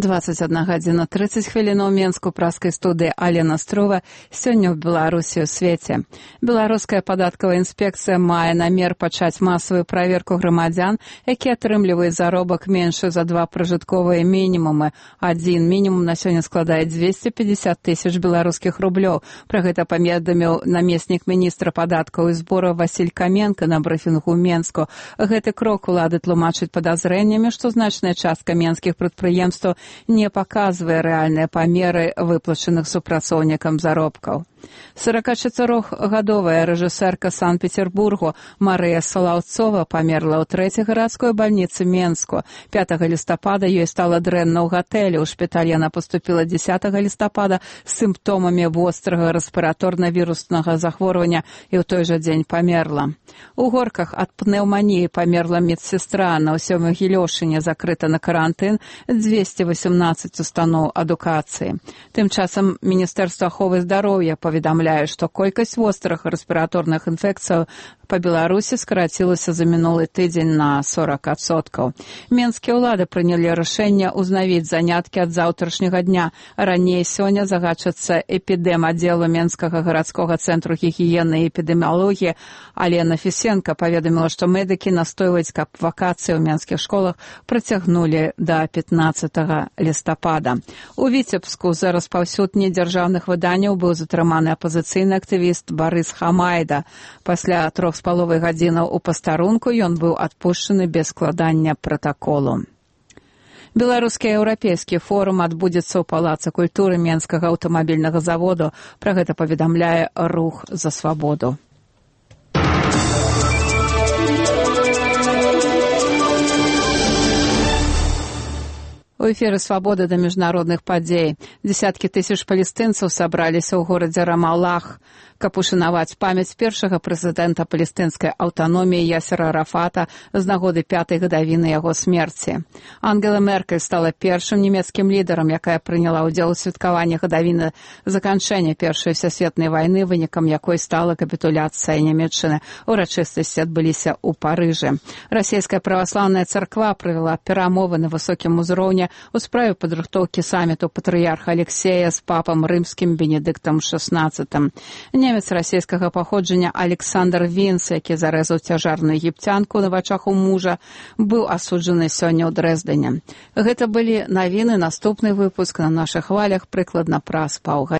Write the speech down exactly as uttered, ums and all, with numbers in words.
двадцать одна гадзіна тридцать хвілін у Менску, праскай студыі Алена Строва. Сёння ў Беларусі ў свеце. Беларуская падаткавая інспекцыя мае намер пачаць масавую праверку грамадзян, якія атрымліваюць заробак меншы за два пражытковыя мінімумы. Адзін мінімум на сёння складае дзвесце пятьдесят тысяч беларускіх рублёў. Пра гэта паведаміў намеснік міністра падаткаў і збораў Васіль Каменка на брыфінгу ў Менску. Гэты крок улады тлумачыць падазрэннямі, што значная частка менскіх прадпрыемстваў не паказвае рэальныя памеры выплачаных супрацоўнікам заробкаў. сорокачатырохгадовая рэжысэрка Санкт-Петербургу Марыя Салаўцова памерла ў трэцяй гарадской бальніцы Менску. пятага лістапада ёй стала дрэнна ў гатэлі. У шпіталь яна паступіла дзесятага лістапада з сімптомамі вострага рэспіраторна-віруснага захворвання і ў той жа дзень памерла. У Горках ад пнеўманіі памерла медсестра. На ўсёй Магілёшыне закрыта на карантын дзвесце васемнаццаць устаноў адукацыі. Тым часам Міністэрства аховы здароўя паведамляе, што колькасць вострых рэспіраторных інфекцыяў па Беларусі скарацілася за мінулы тыдзень на сорок адсоткаў. Менскія ўлады прынялі рашэнне ўзнавіць заняткі ад заўтрашняга дня. Раней сёння загадчыца эпідэм-аддзелу Менскага гарадскога цэнтру гігіены і эпідэміялогіі Алена Фісенка паведаміла, што медыкі настойваюць, каб вакацыі ў менскіх школах працягнулі да пятнаццатага лістапада. У Віцебску за распаўсюд недзяржаўных выданняў быў затрыманы апазіцыйны актывіст Барыс Хамайда. Пасля трох з паловай гадзінаў у пастарунку ён быў адпушчаны без складання пратаколу. Беларускі еўрапейскі форум адбудзецца ў палацы культуры Менскага аўтамабільнага заводу. Пра гэта паведамляе Рух за свабоду. У эфіры «Свабода» да міжнародных падзей. Дзесяткі тысяч палестынцаў сабраліся ў горадзе Рамаллах, каб ушанаваць памяць першага прэзідэнта палестынскай аўтаноміі Ясера Арафата з нагоды пятай гадавіны яго смерці. Ангела Меркель стала першым нямецкім лідарам, якая прыняла ўдзел у святкаванні гадавіны заканчэння Першай сусветнай вайны, вынікам якой стала капітуляцыя Нямецчыны. Урачыстасці адбыліся ў Парыжы. Расійская праваслаўная царква правяла перамовы на высокім узроўні у справе падрыхтоўкі саміту патрыярха Алексея з папам рымскім Бенедыктам шаснаццатым. Немец расійскага паходжання Александр Вінц, які зарэзаў цяжарную егіпцянку на вачах у мужа, быў асуджаны сёння ў Дрэздене. Гэта былі навіны. Наступны выпуск на нашых хвалях прыкладна праз паўгадзіны.